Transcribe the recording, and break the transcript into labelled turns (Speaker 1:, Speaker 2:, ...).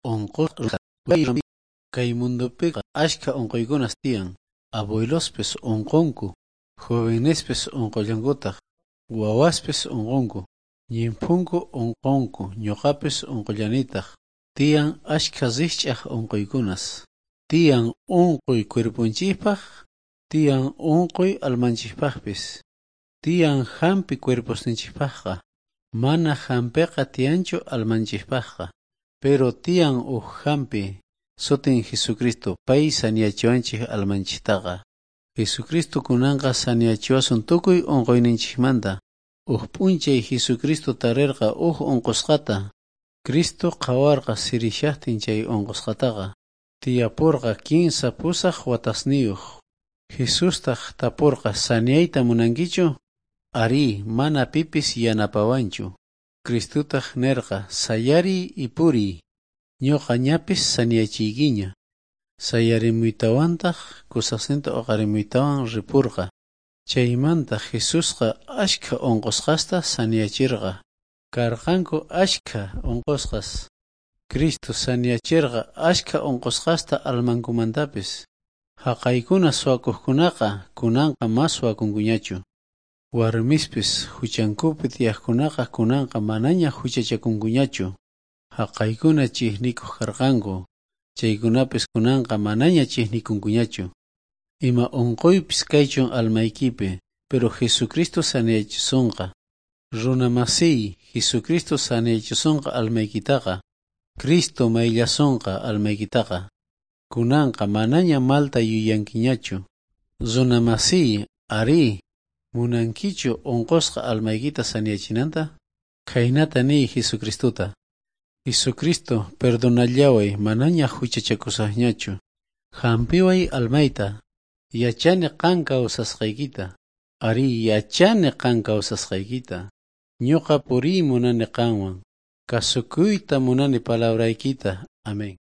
Speaker 1: Unqusqa kay mundopiqa ashkha unquykunas tiyan. Abuelospis unqunku, jovenespis unqullankutaq, wawaspis unqunku, ñimphunku unqunku, ñuqapis unqullanitaq. Tiyan ashkha rikch'aq unquykunas. Tiyan unquy cuerponchikpaq, tiyan unquy almanchikpaqpis. Tiyan hampi cuerposninchikpaqqa. Mana hampiqa tiyanchu almanchikpaqqa. Pero tiyan uj hampi, sutin Jesucristo, pay saniyachiwanchik almanchiktaqa. Jesucristo kunanqa saniyachiwasun tukuy unquyninchikmanta. Uj p'unchay Jesucristo tarirqa uj unqusqata. Cristo qhawarqa sirishaqtin chay unqusqataqa. Tiyapurqa 38 watasniyuq. Jesustaq tapurqa saniyayta munankichu? Arí, mana pipis yanapawanchu. Cristotaq nirqa sayariy y puriy. Ñuqa ñapis saniyachiykiña. Sayarimuytawantaq kusasninta uqarimuytawan ripurqa. Chaymanta Jesusqa ashkha unqusqasta saniyachirqa. Karqanku ashkha unqusqas. Cristo saniyachirqa ashkha unqusqasta almankumantapis. Haqaykuna suwakuqkunaqa kunanqa ma suwakunkuñachu. Warmispis huchankupi tiyaqkunaqa kunanqa manaña huchachakunkuñachu. Haqaykuna chiqnikuq karqanku, chaykunapis kunanqa manaña chiqnikunkuñachu. Ima unquypis kaychun almaykipi, pero Jesucristo saniyachisunqa. Runa masiy, Jesucristo saniyachisunqa almaykitaqa. Cristo mayllasunqa almaykitaqa. Kunanqa manaña malta yuyankiñachu. Runa masiy, arí, munankichu unqusqa almaykita saniyachinanta? Khaynata niy Jesucristota. Jesucristo, perdonallaway, manaña huchachakusaqñachu. Hampiway almayta. Yachani qan kawsasqaykita. Arí, yachani qan kawsasqaykita. Ñuqa puriy munani qanwan. Kasukuyta munani palabraykita. Amén.